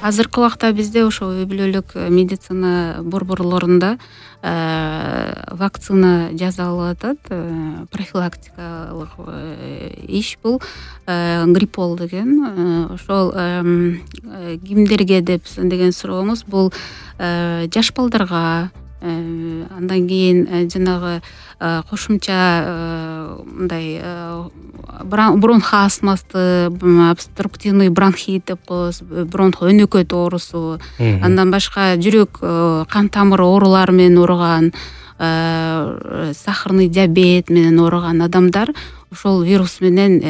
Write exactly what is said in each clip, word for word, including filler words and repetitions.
Азыркы убакта бизде ошо үй бүлөлүк медицина борборлорунда вакцина жасалып атат. Профилактикалык иш бул гриппол деген. Ошол кимдерге деп деген сурооңуз, бул жаш балдарга, андан кийин жанагы кошумча мындай бронх астмасы, обструктивный бронхит деп коебуз, бронх өнөкөт оорусу, андан башка жүрөк кан тамыры оорулары менен ооруган, сахарный диабет менен ооруган адамдар ошол вирус менен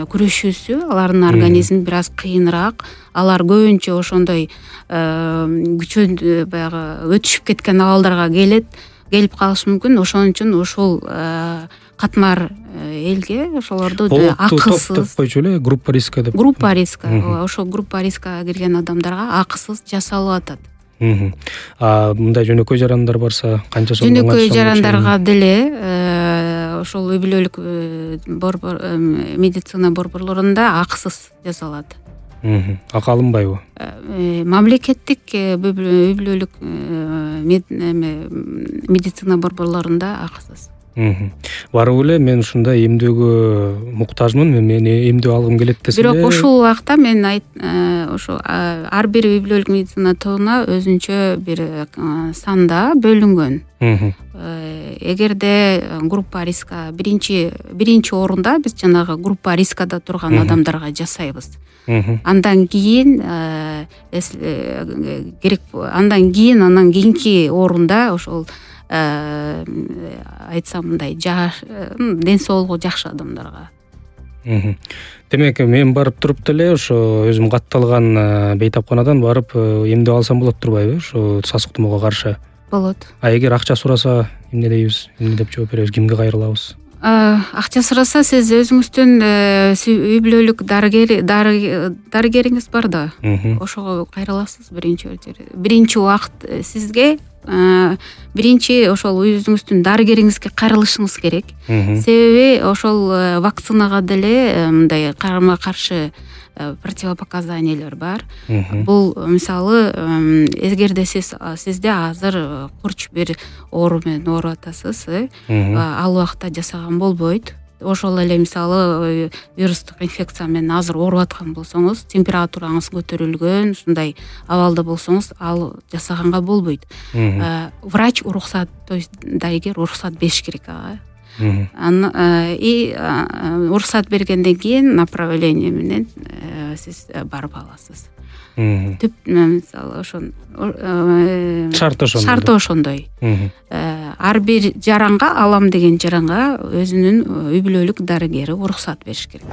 күрөшүүсү алардын организми бир аз кыйыныраак. Алар көбүнчө ошондой күчөн баягы өтүшүп кеткен абалдарга келет, келип калышы мүмкүн. Ошон үчүн ошол катмар элге ошолорду акысыз топ деп койчу эле, группа риска деп. Группа риска. Ошол группа риска кирген адамдарга акысыз жасалып атат. А мындай жөнөкөй жарандар барса канча сом? Жөнөкөй жарандарга деле ошол үй бүлөлүк борбор медицина борборлорунда акысыз жасалат. Акы алынбайбы? Мамлекеттик үй бүлөлүк медицина борборлорунда акысыз. Барып эле мен ушундай эмдөөгө муктажмын, мен эмдөө алгым келет десе. Бирок ушул убакта мен ошо ар бир үй бүлөлүк медицина тобуна өзүнчө бир санда бөлүнгөн. Эгерде группа риска биринчи биринчи орунда биз жанагы группа рискада турган адамдарга жасайбыз. Андан кийин керек андан кийин андан кийинки орунда ошол айтсам мындай жаш, ден соолугу жакшы адамдарга. Демек, мен барып туруп деле ошо өзүм катталган бейтапканадан барып эмдөө алсам болот турбайбы? Ошо сасык тумоого каршы. Болот. А эгер акча сураса, эмне дейбиз? Эмне деп жооп беребиз? Кимге кайрылабыз? Акча сураса, сиз өзүңүздүн үй бүлөлүк дарыгер дарыгериңиз бар да. Ошого кайрыласыз биринчи очередь. Биринчи убакыт сизге биринчи ошол өзүңүздүн дарыгериңизге кайрылышыңыз керек. Себеби ошол вакцинага деле мындай карама каршы противопоказаниялар бар. Бул мисалы, эгерде сиз сизде азыр курч бир оору менен ооруп атасыз, ал убакта жасаган болбойт. Ошол эле мисалы вирустук инфекция менен азыр ооруп аткан болсоңуз, температураңыз көтөрүлгөн, ушундай абалда болсоңуз, ал жасаганга болбойт. Врач уруксат, то есть дарыгер уруксат бериш керек ага. И уруксат бергенден кийин направление менен сиз барып аласыз. Түп мисалы ошон шарты ошондой. Шарты ошондой. Ар бир жаранга, алам деген жаранга өзүнүн үй бүлөлүк дарыгери уруксат бериш керек.